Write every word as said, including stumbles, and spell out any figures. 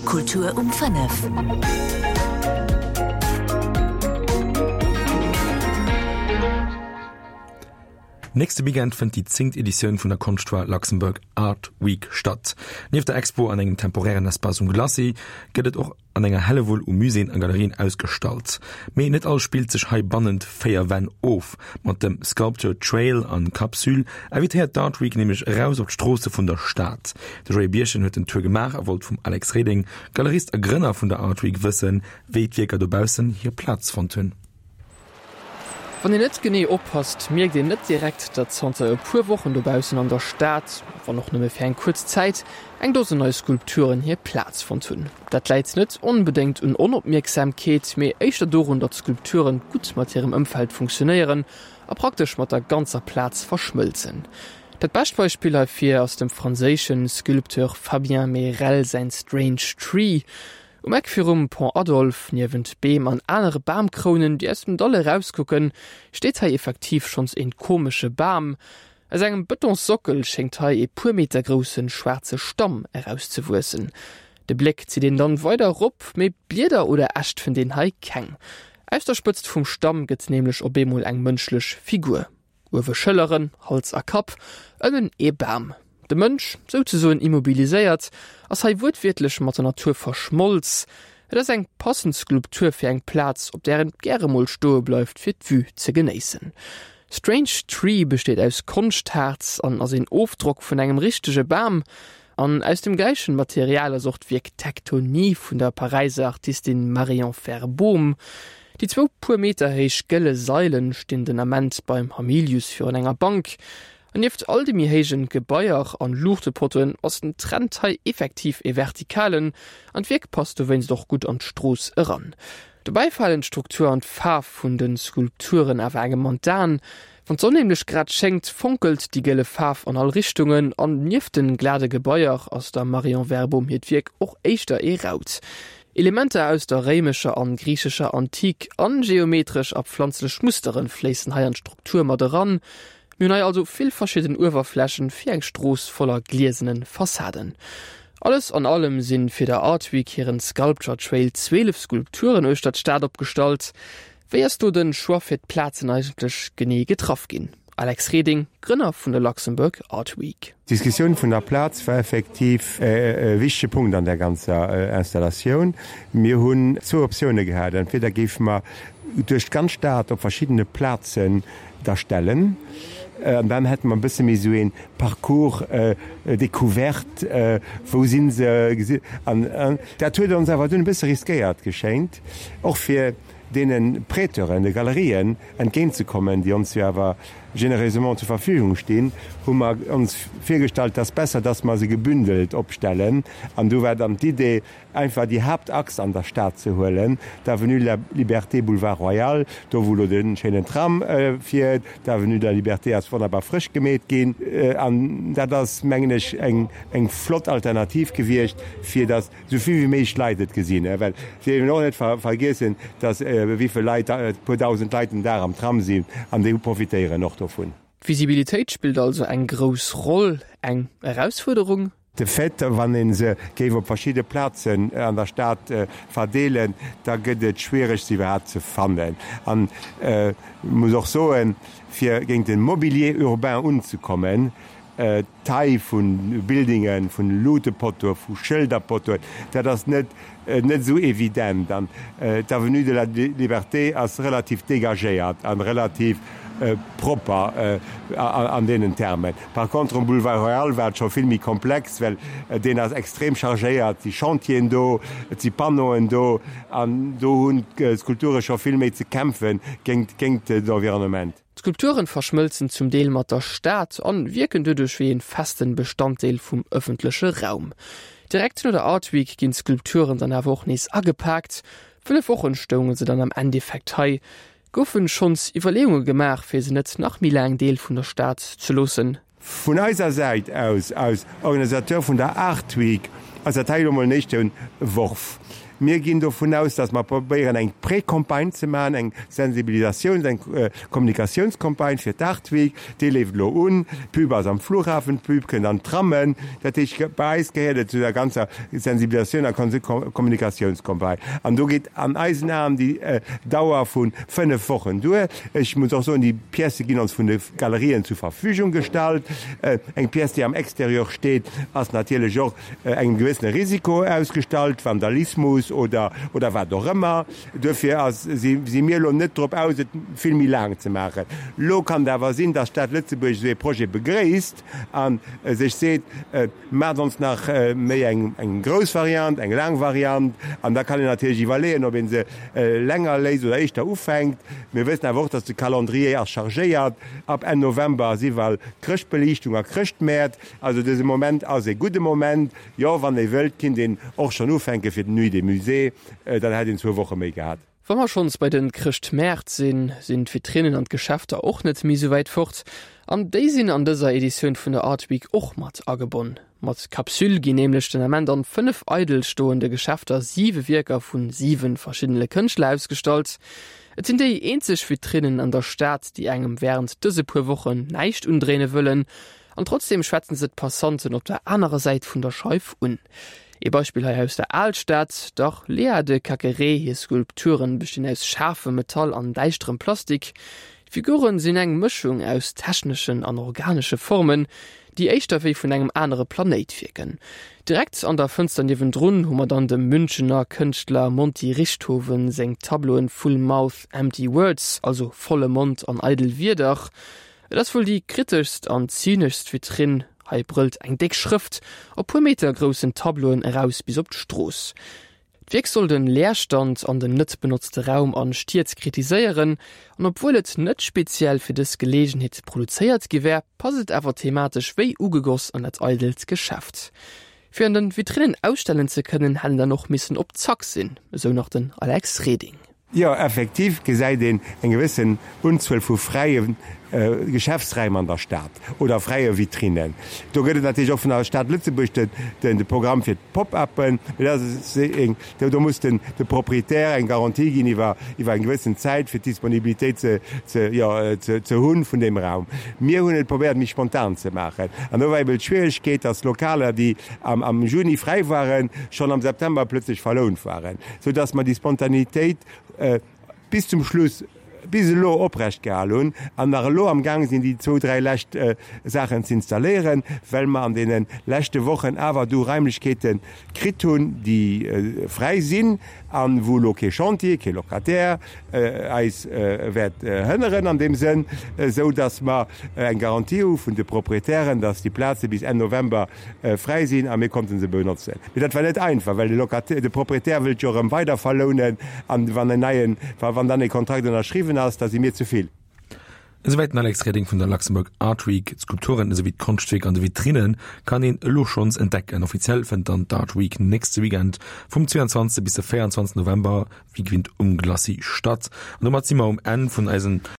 Kultur um fënnef. Nächste Weekend fënnt déi zéngt Editioun vun der Konschtfoire Luxembourg Art Week statt. Nieft der Expo an engem temporären Espace um Glacis gëtt et och an enger Hellewull u Muséeën a Galerien ausgestallt. Mee net alles spillt sech hei bannent véier Wänn of. Mat dem Sculpture Trail an Capsule invitéiert d'Art Week nämlech eraus op d'Stroosse vun der Stad. De Joé Birchen huet den Tour gemaach a wollt vum Alex Reding, Galerist a Grënner vun der Art Week, wëssen, wéi d'Wierker dobaussen hir Plaz fonnt hunn. Wann een net genee oppasst, mierkt een net direkt, datt zanter e puer Wochen dobaussen an der Stad, wann och nëmme fir eng kuerz Zäit, eng Dosen nei Skulpturen hir Plaz fonnt hunn. Dat läit net onbedéngt un Onopmierksamkeet, mee éischter dorun, datt d'Skulpturen gutt mat hirem Ëmfeld funktionéieren a praktesch mat der ganzer Plaz verschmëlzen. Dat bescht Beispill heifir ass dem franséische Sculpteur Fabien Mérel säin Strange Tree. Um Eck virum Pont Adolphe, niewent Beem an anere Bamkrounen, déi aus dem Dall erauskucken, steet hei effektiv schonns een komesche Bam. Aus engem Bëtonssockel schéngt hei ee puer Meter grousse schwaarze Stamm erauszewuessen. De Bléck zitt een dann weider erop, mee Blieder oder Äscht fënnt een hei keng. Aus der Spëtzt vum Stamm gëtt nämlech op eemol eng mënschlech Figur. Uewe Schëlleren, Hals a Kapp, ënnen ee Bam. De Mënsch, souzesoen immobiliséiert, ass hei wuertwiertlech mat der Natur verschmolz. Et ass eng passend Skulptur fir eng Plaz, op där een gäre mol stoe bleift fir d'Vue ze genéissen. Strange Tree besteet aus Konschthaarz an ass een Ofdrock vun engem richtege Bam. An aus dem gläichen Material ass och d'Wierk Tektonie vun der Paräiser Artistin Marion Verboom. Déi zwou puer Meter héich gëlle Sailen stinn den Ament beim Hamilius virun enger Bank. An nieft all de méi héijen Gebaier an Luuchtepottoen ass den Trend hei effektiv ee vertikalen, an d'Wierk passt dowéinst och gutt an d'Strooss eran. Dobäi falen d'Struktur an d'Faarf vun de Skulpturen awer engem an d'Aen. Wann d'Sonn nämlech grad schéngt, fonkelt déi gëlle Faarf an all Richtungen an nieft de glade Gebaier ass der Marion Verboom hiert Wierk och éischter ee raut. Elementer aus der réimescher an griichescher Antik an geometresch a pflanzlech Musteren fléissen hei an d'Struktur mat eran. Mir hunn hei also vill verschidden Uewerflächen fir eng Strooss voller gliesenen Fassaden. Alles an allem sinn fir der Art Week hiren Sculpture Trail zwielef Skulpturen uechter d'Stad opgestallt. Wéi ass do den Choix fir d'Plazen eigentlech genee getraff ginn? Alex Reding, Grënner vun der Luxembourg Art Week. D'Diskussioun vun der Plaz war effektiv e wichtege Punkt an der ganzer Installatioun. Mir hunn zwou Optioune gehat, Entweder géife mer duerch d'ganz Stad op verschiddene Plazen der stellen, an dann hätte mer e bësse méi esou ee Parcours découverte, wou si se, an dat huet ons awer dunn e bësse riskéiert geschéint, och fir deene Prêteuren, de Galerien entgéintzekommen, déi ons jo awer généreusement zur Verfügung stinn, hu mer ons virgestallt, dass besser, dass mer se gebündelt opstellen. An du war dann d'Idee, einfach déi Haaptachs an der Stad ze huelen, d'Avenue de la Liberté, Boulevard Royal, do wou elo de schéinen Tram fiert. D'Avenue de la Liberté ass wonnerbar frësch gemeet ginn. An dat ass, mengen ech, eng, eng flott Alternativ gewiescht, fir dass esou vill wéi méiglech Leit et gesinn. Well et dierf een och net vergiessen, dass wéi vill Leit, e puer dausend Leit den Dag am Tram sinn an déi profitéieren och dovun. D'Visibilitéit spillt also eng grouss Roll. Eng Erausfuerderung? De Fait, wann ee se géif op verschidde Plazen an der Stad verdeelen, da gëtt et schwiereg, se iwwerhaapt ze fannen. An ech muss och soen, fir géint de Mobilier urbain unzekommen, d'Taille vu Buildingen, vun Luutepottoe, vu Schëlderpottoen, dat ass net net esou evident. An d'Avenue de la Liberté ass relativ dégagéiert a relativ propper an deenen Termen. Par contre um Boulevard Royal war et scho vill méi komplex, well deen ass extrem chargéiert, et si Chantieren do, et si Panneauen do an do hunn d'Skulpture scho vill méi ze kämpfe géint géint d'Environnement. D'Skulpturen verschmëlzen zum Deel mat der Stad an wierken doduerch wéi een festen Bestanddeel vum ëffentleche Raum. Direkt no der Art Week ginn d'Skulpturen dann awer och nees agepaakt. Fënnef Wochen stounge se dann am Endeffekt hei. Goufen schonns Iwwerleeunge gemaach fir se net nach méi laang Deel vun der Stad ze loossen? Vun eiser Säit aus, als Organisateur vun der Art Week, ass dat hei elo mol en éischte Worf. Mir ginn dovun aus, dass mer probéieren eng Pré-Campagne ze maachen, eng Sensibilisatiouns-, eng Kommunikatiounscampagne fir d'Art Week. Déi leeft elo un. D'Pub ass am Flughafen, d'Pub kënnt an d'Trammen. Dat heescht, bei eis gehéiert et zu der ganzer Sensibilisatioun a Kommunikatiounscampagne. An do geet an eisen Aen déi Dauer vu fënnef Wochen duer. Ech muss och soen, déi Piècë ginn ons vun de Galerien zur Verfügung gestallt. Eng Pièce, déi am Exterieur steet, ass natierlech och engem gewëssene Risiko ausgestallt, Vandalismus oder, oder wat och ëmmer. Duerfir ass, si, si mir elo net drop aus, et vill méi laang ze maachen. Elo kann et awer sinn, dass d'Stad Lëtzebuerg esou ee Projet begréisst a sech seet, Maacht ons nach méi eng, eng grouss Variant, eng laang Variant. An da kann een natierlech iwwerleeën, ob ee se länger léisst oder éischter ufänkt. Mir wëssen awer och, dass de Calendrier ass chargéiert. Ab Enn November ass iwwerall Chrëschtbeliichtung a Chrëschtmäert. Also dëse Moment ass e gudde Moment. Jo, wann ee wëllt, kinnt een och schonn ufänke fir d'Nuit des Musées, dann hätt een zwou Woche méi gehat. Wa mer schonns bei de Chrëschtmäert sinn, sinn d'Vitrinnen an d'Geschäfter och net méi sou wäit fort. An déi sinn an dëser Editioun vun der Art Week och mat agebonn. Mat Capsule ginn nämlech den Ament an fënnef eidel stoende Geschäfter siwe Wierker vu siwe verschiddene Kënschtler ausgestallt. Et sinn déi eenzeg Vitrinnen an der Stad, déi engem wärend dëse puer Wochen näischt undréine wëllen. An trotzdeem schwätzen se d'Passanten op der anerer Säit vun der Scheif un. Ee Beispill hei aus der Alstad, der Léa de Cacqueray hir Skulpturen bestinn aus schaarfem Metall an däischterem Plastik. D'Figuren sinn eng Mëschung aus techneschen an organesche Formen, déi éischter wéi vun engem anere Planéit wierken. Direkt an der Fënster niewendrun hu mer dann dem Münchener Kënschtler Monty Richthofen seng Tableauen Full Mouth Empty Words, also volle Mond an eidel Wierder. Et ass wuel déi kriteschst an zyneschst Vitrinn, hei brëllt eng déck Schrëft op puer Meter groussen Tableauen eraus bis op d'Strooss. D'Wierk soll den Leerstand an den net benotzte Raum an Stied kritiséieren, an obwuel et net speziell fir dës Geleegenheet produzéiert gi wär, passt et awer thematesch wéi ugegoss an dat eidelt Geschäft. Fir an den Vitrinnen ausstellen ze kënnen, hätt een dann och missen op Zack sinn, esou nach den Alex Reding. Jo, effektiv gesäit een eng gewëssen Unzuel vu fräie Geschäftsräim an der Stad oder fräie Vitrinnen. Do gëtt et natierlech och vun der Stad Lëtzebuerg de Programm fir d'Pop-uppen. Mee dat ass eng, do muss den de Proprietär eng Garantie ginn iwwer iwwer eng gewëssen Zäit, fir d'Disponibilitéit ze ze jo ze ze hunn vun deem Raum. Mir hunn et probéiert méi spontan ze maachen. An do war eben d'Schwieregkeet, dass Lokaler, déi am am Juni fräi waren, schonn am September plötzlech verlount waren, soudass mer déi Spontanitéit bis zum Schluss, bis elo oprecht gehal hunn an nach elo am Gaang sinn, déi zwou, dräi lescht Saachen ze installéieren, well mer an deene leschte Wochen awer du Raimlechkeete kritt hunn, déi fräi sinn a wou elo kee Chantier, kee Locataire eis wäert hënneren an deem Sënn, esou datt mer eng Garantie hu vun de Proprietären, datt déi Plaze bis Enn November fräi sinn a mir konnte se benotzen. Mee dat war net einfach, well de Locataire, de Proprietär wëllt jo erëm weider verlounen an wann en neien, wann dann e Kontrakt ënnerschriwwen ass, da si mir ze vill. Esouwäit den Alex Reding vun der Luxembourg Art Week. D'Skulpturen esouwéi d'Konschtwierker an de Vitrinne kann een elo schonns entdecken. Offiziell fënnt dann d'Art Week nächste Weekend vum zweiundzwanzeg bis de véierundzwanzeg November wéi gewinnt um Glacis statt. An domat si mer um Enn vun eisen.